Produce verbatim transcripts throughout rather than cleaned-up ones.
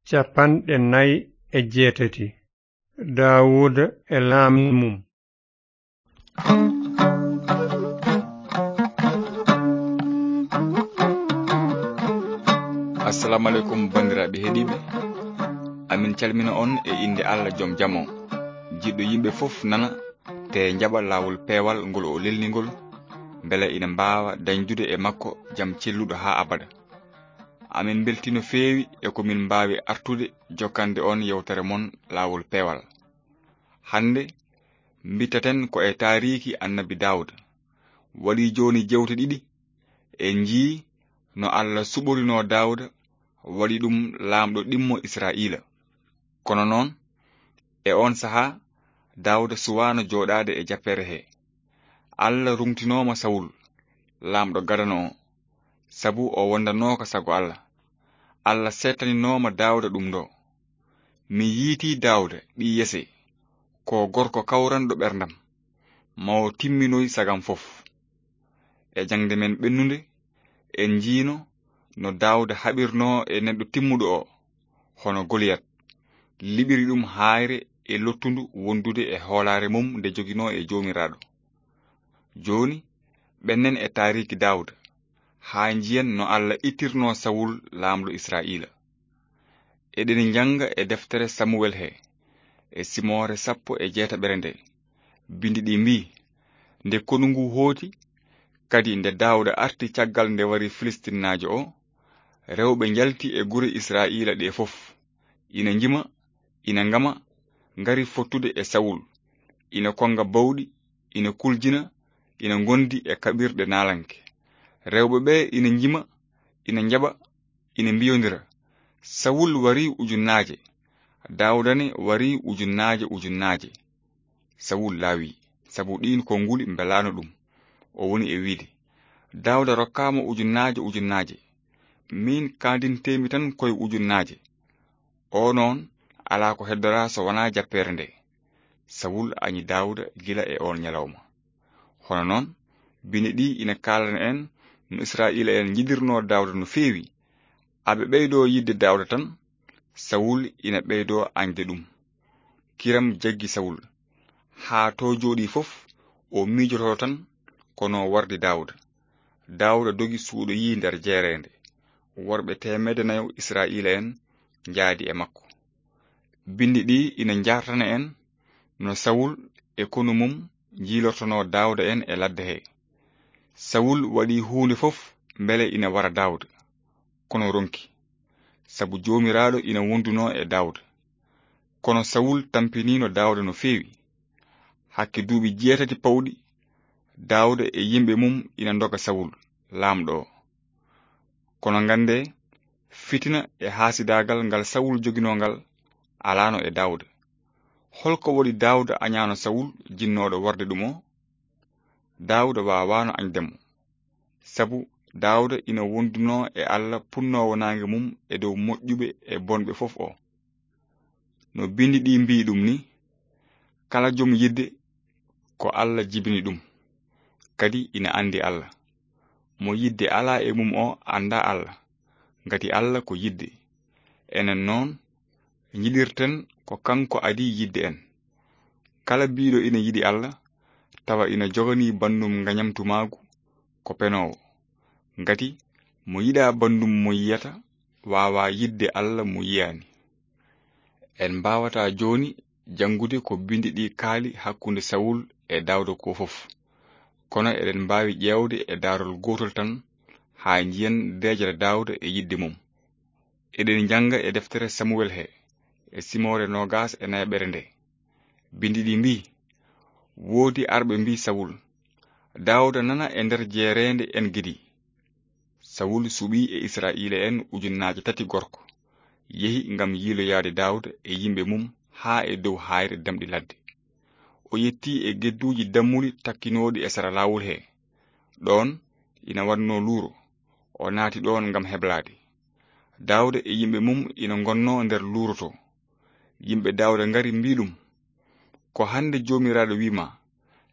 Cappanɗe nayi e jeetati. Daawuda e laamu mum. Assalamu aleykum, banndiraaɓe heɗiiɓe. Amin calmina on e innde Allah jom jam on. Jiɗɗo yimɓe fof nana, te njaɓa laawol peewal ngol o lelni ngol, mbele ina mbaawa dañdude e makko jam celluɗo haa abada. Amin mbeltii no feewi e ko min mbaawi artude jokkande on yewtere mon laawol peewal. Hannde, mbitaten ko e taariiki Annabi Daawda. Waɗii jooni jewte ɗiɗi, en njii no Allah suɓorinoo Daawda, waɗi ɗum laamɗo ɗimmo Israa'iila. Kono noon, e oon sahaa, Daawda suwaano jooɗaade e jappeere hee. Allah ruŋtinooma Sawul, laamɗo gadano o, sabu o wondanooka sago Allah. Allah seettaninooma Daawda ɗum ɗoo. Mi yiitii Daawda ɓii Yese, ko gorko kawranɗo ɓerndam, mo timminoy sagam fof. E jaŋde men ɓennunde, en njiino no Daawda haɓirnoo e neɗɗo timmuɗo o, hono Goliyat, liɓiri ɗum haayre e lottundu wondude e hoolaare mum nde joginoo e Joomiraaɗo. Jooni, ɓennen e taariiki Daawda, haa njiyen no Allah ittirnoo Sawul laamɗo Israa'iila. Eɗen njannga e deftere Samuwel he, e simoore sappo e jeetaɓere nde, binndi ɗi mbii, nde konu ngu hooti, kadi nde Daawda arti caggal nde wari Filistinnaajo o, rewɓe njalti e gure Israa'iila ɗe fof, ina njima, ina ngama, ngari fottude e Sawul, ina konnga bawɗi, ina kuljina, ina ngondi e kaɓirɗe naalanke. Rewɓe ɓe ina njima, ina njaɓa, ina mbiyondira, Sawul warii ujunnaaje, Daawda ne warii ujunnaaje ujunnaaje. Sawul laawi, sabu ɗiin konnguli mbelaano ɗum. O woni e wiide, Daawda rokkaama ujunnaaje ujunnaaje, miin kaandinteemi tan koye ujunnaaje. O noon, alaa ko heddoraa so wonaa jappeere nde. Sawul añi Daawda gila e oon ñalawma. Hono noon, bine ɗi ina kaalana en no Israa'iila en njiɗirnoo Daawda no feewi. Aɓe ɓeydoo yiɗde Daawda tan, Sawul ina ɓeydoo añde ɗum. Kiram jaggi Sawul. Haa to jooɗii fof, o miijotoo tan ko no wardi Daawda. Daawda dogi suuɗoyii nder jeereende. Worɓe teemedde nayo Israa'iila en njaadi e makko. Binndi ɗi ina njartana en no Sawul e konu mum njiilortonoo Daawda en e ladde he. Sawul waɗi huunde fof mbele ina wara Daawda, kono ronki, sabu Joomiraaɗo ina wondunoo e Daawda. Kono Sawul tampiniino Daawda no feewi. Hakke duuɓi jeetati pawɗi, Daawda e yimɓe mum ina ndoga Sawul, laamɗo o. Kono nganndee, fitina e haasidaagal ngal Sawul joginoo ngal alaano e Daawda. Hol ko waɗi Daawda añaano Sawul jinnooɗo warde ɗum o? Daawda waawaano añde mo, sabu Daawda ina wondunoo e Allah punnoowo naange mum e dow moƴƴuɓe e bonɓe fof o. No binndi ɗi mbii ɗum ni, kala jom yiɗde ko Allah jibini ɗum, kadi ina anndi Allah. Mo yiɗde alaa e mum o anndaa Allah, ngati Allah ko yiɗde. Enen noon, njiɗirten ko kanko adii yiɗde en. Kala biiɗo ina yiɗi Allah, tawa ina joganii banndum ngañamtumaagu ko penoowo. Ngati mo yiɗaa banndum mo yiyata, waawaa yiɗde Allah mo yiyaani. En mbaawataa jooni janngude ko binndi ɗi kaali hakkunde Sawul e Daawda ko fof. Kono eɗen mbaawi ƴeewde e daarol gootol tan haa njiyen deeƴere Daawda e yiɗde mum. Eɗen njannga e deftere Samuwel he, e simoore noogaas e nayaɓere nde. Binndi ɗi mbii, woodi arɓe mbii Sawul, Daawda nana e nder jeereende En-Gedi. Sawul suɓii e Israa'iila en ujunnaaje tati gorko, yehi ngam yiiloyaade Daawda e yimɓe mum haa e dow haayre damɗi ladde. O yettii e gedduuji dammuli takkinooɗi e sara laawol he. Ɗoon ina waɗnoo luuro, o naati ɗoon ngam heblaade. Daawda e yimɓe mum ina ngonnoo nder luuro to. Yimɓe Daawda ngari mbii ɗum, ko hannde Joomiraaɗo wii ma,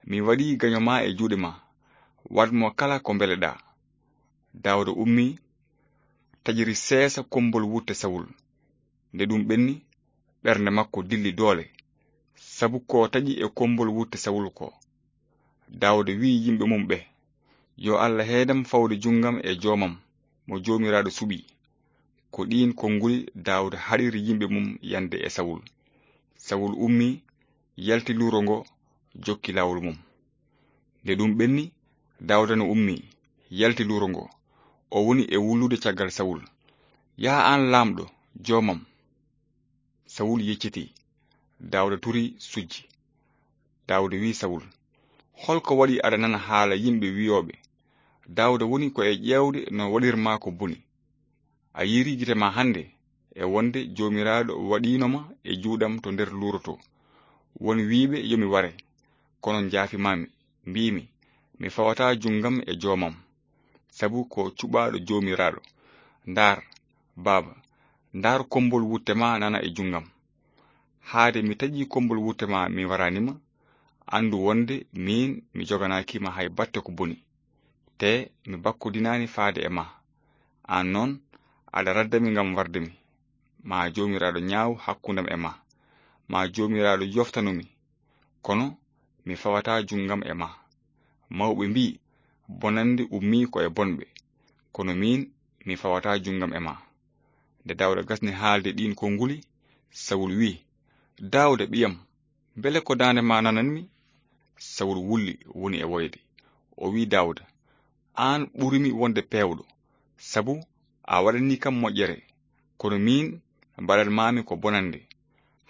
mi waɗii gaño ma e juuɗe ma, waɗ mo kala ko mbeleɗaa. Daawda ummii, taƴiri seesa kommbol wutte Sawul. Nde ɗum ɓenni, ɓernde makko dilli doole, sabu ko taƴi e kombol wutte Sawulu ko. Daawuda wi'i yimɓe mum ɓe, "Yo Allah heedam fawde junngam e joomam mo Joomiraaɗo suɓi." Ko ɗiin konnguli Daawuda haɗiri yimɓe mum yande e Sawulu. Sawulu ummi, yalti luuro ngo, jokki laawol mum. Nde ɗum ɓenni, Daawuda no ummi, yalti luuro ngo. O woni e wullude caggal Sawulu. "Yaa aan laamɗo, joomam." Sawulu yeccitii. Daawuda turi sujji. Daawuda wi'i Sawulu, "Holko waɗi aɗa nana haala yimɓe wi'ooɓe, 'Daawuda woni ko e ƴeewde no waɗirmaa ko boni'? A yiiri gite ma hannde e wonde Joomiraaɗo waɗiino ma e juuɗam to nder luuro to. Won wiiɓe yo mi ware, kono njaafimaami, mbiimi, 'Mi fawataa junngam e joomam, sabu ko cuɓaaɗo Joomiraaɗo.' Ndaar, baaba, ndaar kombol wutte ma nana e junngam. Haade mi taƴi kombol wutte ma mi waraani ma, anndu wonde miin mi joganaaki ma hay batte ko boni. Te mi bakkodinaani faade e ma. Aan noon, aɗa radda mi ngam warde mi. Ma Joomiraaɗo ñaaw hakkundam e ma. Ma Joomiraaɗo yoftanu mi. Kono mi fawataa junngam e ma. Mawɓe mbii, 'Bonannde ummii ko e bonɓe.' Kono miin, mi fawataa junngam e ma." Nde Daawuda gasni haalde ɗiin konnguli, Sawulu wi'i, "Daawuda, ɓiyam, mbele ko daande ma nananmi?" Sawulu wulli, woni e woyde. O wi'i Daawuda, "Aan ɓurumi wonde peewɗo, sabu a waɗanii kam moƴƴere, kono miin mbaɗanmaami ko bonannde.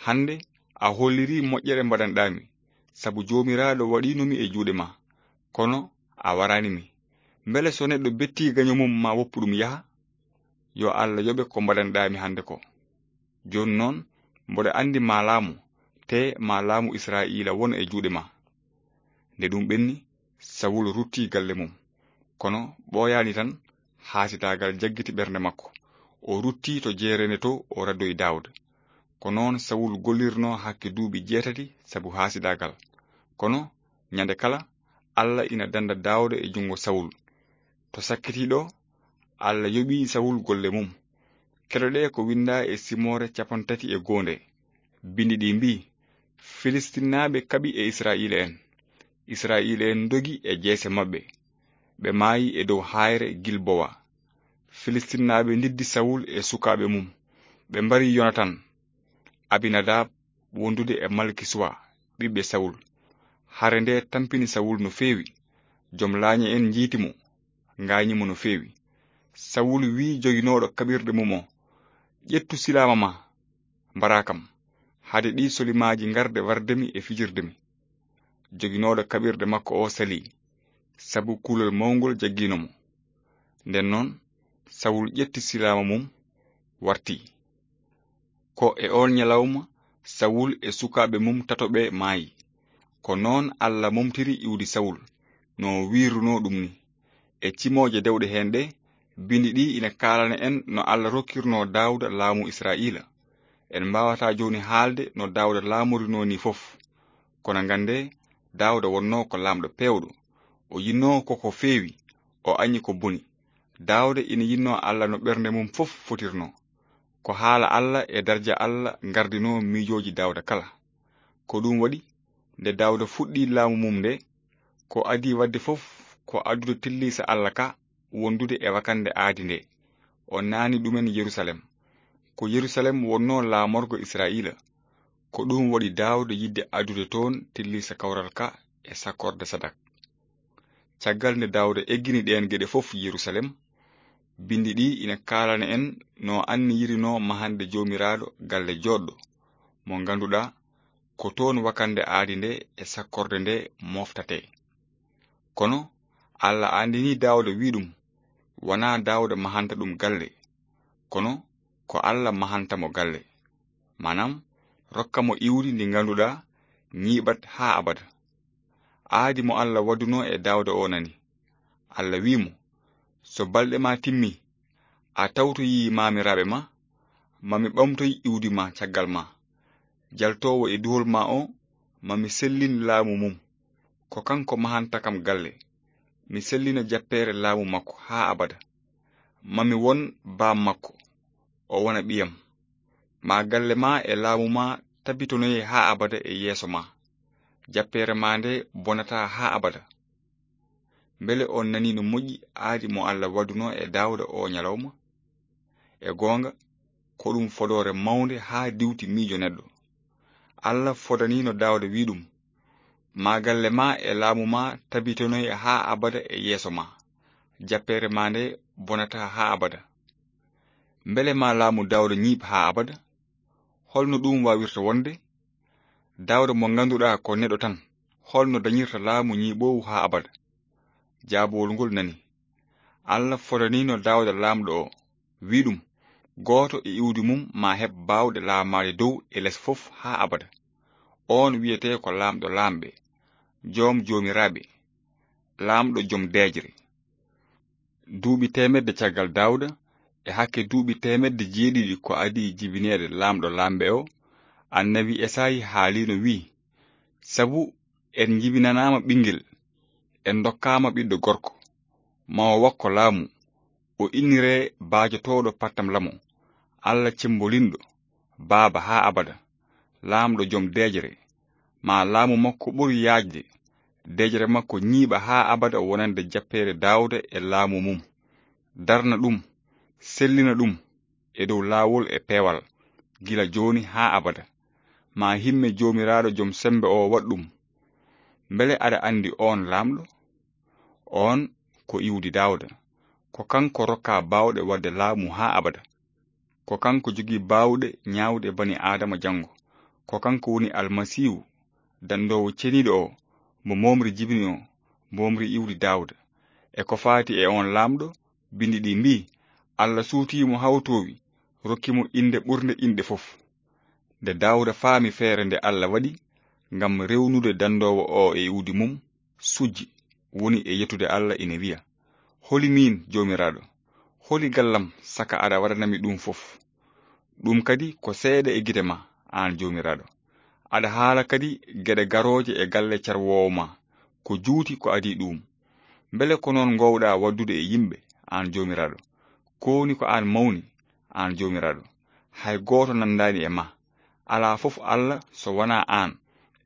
Hannde a hollirii moƴƴere mbaɗanɗaami, sabu Joomiraaɗo waɗiino mi e juuɗe ma, kono a waraani mi. Mbele so neɗɗo bettii gaño mum ma woppu ɗum yaha? Yo Allah yoɓe ko mbaɗanɗaami hannde ko. Jooni noon, mboɗo anndi ma laamu, te ma laamu Israa'iila won e juuɗe ma." Nde ɗum ɓenni, Sawulu ruttii galle mum. Kono ɓooyaani tan, haasidaagal jaggiti ɓernde makko. O ruttii to jeereende to o raddoyi Daawuda. Ko noon Sawulu gollirnoo hakke duuɓi jeetati sabu haasidaagal. Kono ñande kala, Allah ina dannda Daawuda e junngo Sawulu. To sakkitii ɗo, Allah yoɓii Sawulu golle mum. Keɗoɗee ko winndaa e simoore cappanɗe tati e goonde. Binndi ɗi mbii, "Filistinnaaɓe kaɓi e Israa'iila'en. Israa'iila'en ndogi e jeese maɓɓe. Ɓe maayi e dow haayre Gilbowa." Filistinnaaɓe ndiddi Sawulu e sukaaɓe mum. Ɓe mbari Yonatan, Abinadab wondude e Malkisuwa, ɓiɓɓe Sawulu. Hare nde tampini Sawulu no feewi. Jom laañe en njiiti mo, ngaañi mo no feewi. Sawulu wi'i joginooɗo kaɓirɗe mum o, "Ƴettu silaama ma, mbaraa kam, hade ɗii solimaaji ngarde warde mi e fijirde mi." Joginooɗo kaɓirɗe makko o salii, sabu kulol mawngol jaggiino mo. Nden noon, Sawulu ƴetti silaama mum, wartii. Ko e oon ñalawma, Sawulu e sukaaɓe mum tato ɓe maayi. Ko noon Allah momtiri iwdi Sawulu, no wiirunoo ɗum ni. E cimooje dewɗe heen ɗe, binndi ɗi ina kaalana en no Allah rokkirnoo Daawuda laamu Israa'iila. En mbaawataa jooni haalde no Daawuda laamorinoo ni fof. Kono nganndee, Daawuda wonnoo ko laamɗo peewɗo. O yinnoo ko ko feewi, o añi ko boni. Daawuda ina yinnoo Allah no ɓernde mum fof fotirnoo. Ko haala Allah e darja Allah ngardinoo miijooji Daawuda kala. Ko ɗum waɗi, nde Daawuda fuɗɗii laamu mum nde, ko adii waɗde fof ko addude tilliisa Allah ka wondude e wakannde aadi nde. O naani ɗumen Yerusalem. Ko Yerusalem wonnoo laamorgo Israa'iila. Ko ɗum waɗi Daawuda yiɗde addude toon tilliisa kawral ka e sakkorde Sadak. Caggal nde Daawuda eggini ɗeen geɗe fof Yerusalem, binndi ɗi ina kaalana en no anniyirinoo mahande Joomiraaɗo galle jooɗɗo, mo ngannduɗaa ko toon wakannde aadi nde e sakkorde nde moftatee. Kono Allah anndinii Daawuda, wi'i ɗum, wanaa Daawuda mahanta ɗum galle, kono ko Allah mahanta mo galle, maanaam, rokka mo iwdi ndi ngannduɗaa ñiiɓat haa abada. Aadi mo Allah waɗunoo e Daawuda o nani. Allah wi'i mo, "So balɗe ma timmi, a tawtoyii maamiraaɓe ma, ma mi ɓamtoy iwdi ma caggal ma. Jaltoowo e duhol ma o, ma mi sellin laamu mum. Ko kanko mahanta kam galle. Mi sellina jappeere laamu makko haa abada. Ma mi won baam makko, o wona ɓiyam. Ma galle ma e laamu ma tabitinoye haa abada e yeeso ma. Jappeere ma nde bonataa haa abada. Mbele on nanii no moƴƴi aadi mo Allah waɗunoo e Daawda oo ñalawma? E goonga, ko ɗum fodoore mawnde haa diwti miijo neɗɗo. Allah fodaniino Daawda, wii ɗum: Ma galle ma e laamu ma tabitinoye haa abada e yeeso ma. Jappeere ma nde bonataa haa abada. Mbele ma laamu Daawda ñiiɓ haa abada? Holno ɗum waawirta wonde? Daawda mo ngannduɗaa ko neɗɗo tan, holno dañirta laamu ñiiɓoowu haa abada? Jaabowol ngol nani. Allah fodaniino Daawda laamɗo o, wii ɗum: Gooto e iwdi mum ma heɓ baawɗe laamaade dow e les fof haa abada. Oon wiyetee ko Laamɗo laamɓe, Joom joomiraaɓe, Laamɗo joom deeƴre. Duuɓi teemedde caggal Daawda, e hakke duuɓi teemedde jeeɗiɗi ko adii jibineede Laamɗo laamɓe o, annabi Esayi haaliino, wii: Sabu en njibinanaama ɓinngel, en ndokkaama ɓiɗɗo gorko, ma o wakko laamu, o inniree baajotooɗo pattam lamo, Allah cemmbolinɗo, Baaba haa abada, Laamɗo joom deeƴre. Ma laamu makko ɓur yaajde, deeƴre makko ñiiɓa haa abada wonande jappeere Daawda e laamu mum. Darna ɗum, sellina ɗum e dow laawol e peewal, gila jooni haa abada. Ma himme Joomiraaɗo joom semmbe o waɗ ɗum. Mbele aɗa anndi oon laamɗo? Oon ko iwdi Daawda. Ko kanko rokkaa baawɗe waɗde laamu haa abada. Ko kanko jogii baawɗe ñaawde bani Aadama janngo. Ko kanko woni Almasiihu, danndoowo ceniiɗo o, mo moomri jibini o, moomri iwdi Daawda. E ko faati e oon laamɗo, binndi ɗi mbii: Allah suutii mo haa o toowi, rokki mo innde ɓurnde inɗe fof. Nde Daawda faami feere nde Allah waɗi ngam rewnude danndoowo o e iwdi mum, sujji, woni e yettude Allah, ina wiya: Holi miin, Joomiraaɗo? Holi gallam, saka aɗa waɗanami ɗum fof? Ɗum kadi ko seeɗa e gite ma, aan Joomiraaɗo. Aɗa haala kadi geɗe garooje e galle carwoowo ma, ko juuti ko adii ɗuum. Mbele ko noon ngoowɗaa waɗdude e yimɓe, aan Joomiraaɗo? Kooni ko aan mawni, aan Joomiraaɗo. Hay gooto nanndaani e ma. Alaa fof Allah so wonaa aan,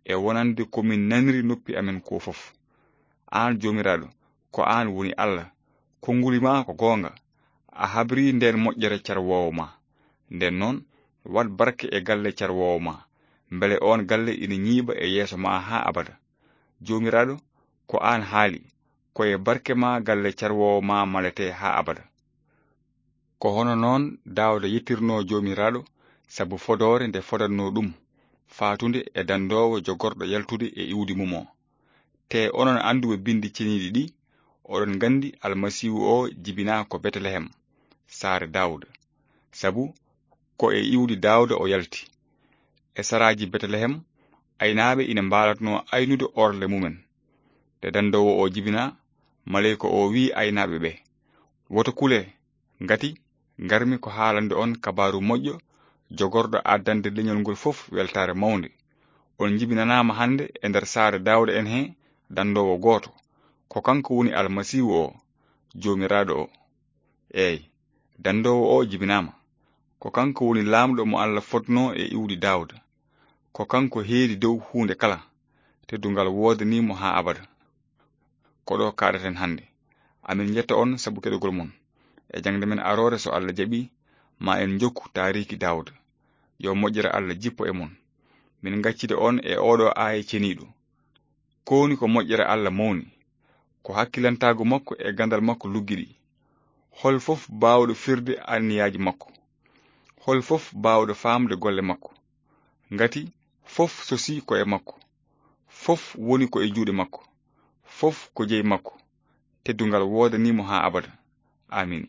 e wonande ko min naniri noppi amen ko fof. Aan Joomiraaɗo, ko aan woni Allah. Konnguli ma ko goonga. A habrii ndeen moƴƴere carwoowo ma. Ndeen noon, waɗ barke e galle carwoowo ma, mbele oon galle ina ñiiɓa e yeeso ma haa abada. Joomiraaɗo, ko aan haali, ko e barke ma galle carwoowo ma maletee haa abada. Ko hono noon Daawda yettirnoo Joomiraaɗo sabu fodoore nde fodatnoo ɗum, faatunde e danndoowo jogorɗo yaltude e iwdi mum o. Tee onon annduɓe Binndi Ceniiɗi ɗi, oɗon nganndi Almasiihu o jibinaa ko Betelehem, saare Daawda, sabu ko e iwdi Daawda o yalti. E saraaji Betelehem, aynaaɓe ina mbaalatnoo aynude orle mumen. Nde danndoowo o jibinaa, maleyka o wii aynaaɓe ɓe: Woto kulee, ngati ngarmi ko haalande on kabaaru moƴƴo jogorɗo addande leñol ngol fof weltaare mawnde. On njibinanaama hannde e nder saare Daawda en he danndoowo gooto. Ko kanko woni Almasiihu o, Joomiraaɗo o. Eey, danndoowo o jibinaama. Ko kanko woni laamɗo mo Allah fodnoo e iwdi Daawda. Ko kanko heedi dow huunde kala. Teddungal woodanii mo haa abada. Ko ɗo kaaɗaten hannde. Amin njetta on sabu keɗogol mon. E jaŋde men aroore, so Allah jaɓii, ma en njokku taariiki Daawda. Yo moƴƴere Allah jippo e mon. Min ngaccida on e oɗo aaya ceniiɗo. Ko woni ko moƴƴere Allah mawni? Ko hakkilantaagu makko e ganndal makko luggiɗi. Hol fof baawɗo firde anniyaaji makko? Hol fof baawɗo faamde golle makko? Ngati fof sosii ko e makko. Fof woni ko e juuɗe makko. Fof ko jeyi makko. Teddungal woodanii mo haa abada. Amiin.